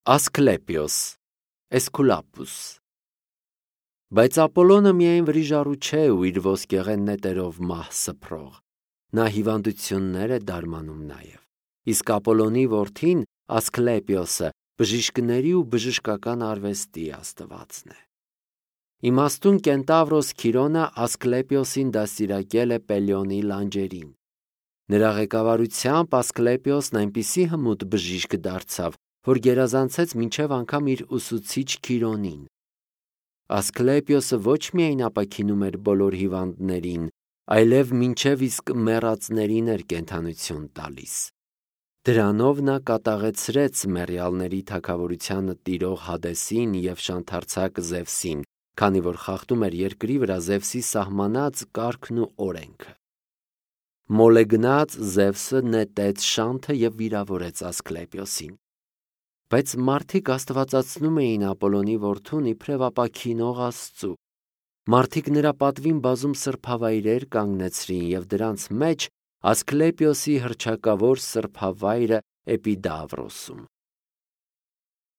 Ասկլեպիոս, Էսկուլապուս։ Բայց Ապոլոնը միայն վրիժառու չէ ու իր ոսկեղեն նետերով մահ սփռող, նա հիվանդություններ է դարմանում նաև, իսկ Ապոլոնի որդին Ասկլեպիոսը բժիշկների ու բժշկական արվեստի աստվածն է։ Իմաստուն կենտավրոս Քիրոնը Ասկլեպիոսին դաստիարակել է Պելիոնի լանջերին։ Նրա ղեկավարությամբ Ասկլեպիոսն այնպիսի հմուտ բժիշկ դարձավ, որ գերազանցեց մինչև անգամ իր ուսուցիչ Քիրոնին։ Ասկլեպիոսը ոչ միայն ապաքինում էր բոլոր հիվանդներին, այլև մինչև իսկ մեռածներին էր կենդանություն տալիս։ Դրանով նա կատաղեցրեց մեռյալների թագավորությանը տիրող Հադեսին և շանթարցակ Զևսին, քանի որ խախտում էր երկրի վրա Զևսի սահմանած կարգն ու օրենքը։ Մոլեգնած Զևսը նետեց շանթը և վիրավորեց Ասկլեպիոսին։ Բայց մարդիկ աստվածացնում էին Ապոլոնի որդուն իբրև ապաքինող Աստծու։ Մարդիկ նրա պատվին բազում սրբավայրեր կանգնեցրին և դրանց մեջ Ասկլեպիոսի հռչակավոր սրբավայրը Էպիդավրոսում։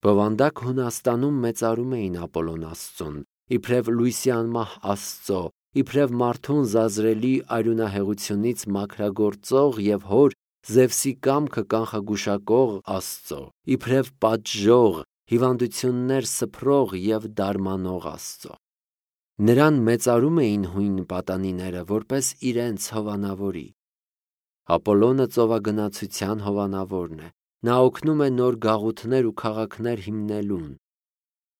Բովանդակ Հունաստանում մեծարում էին Ապոլոն Աստծուն, իբրև լույսի անմահ Աստծո, իբրև մարդուն զազրելի արյունահեղությունից մաքրագործող և հոր Զևսի կամքը կանխագուշակող Աստծո, իբրև պատժող, հիվանդություններ սփռող և դարմանող Աստծո։ Նրան մեծարում էին հույն պատանիները որպես իրենց հովանավորի։ Ապոլոնը ծովագնացության հովանավորն է, նա օգնում է նոր գաղութներ ու քաղաքներ հիմնելուն։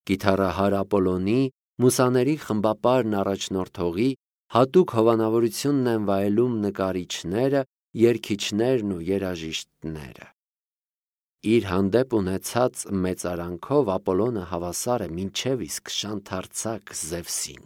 Կիթառահար Ապոլոնի, մուսաների խմբապարն առաջնորդողի հատուկ հովանավորությունն են վայելում նկարիչները, երգիչներն ու երաժիշտները։ Իր հանդեպ ունեցած մեծարանքով Ապոլոնը հավասար է մինչև իսկ շանթարցակ Զևսին։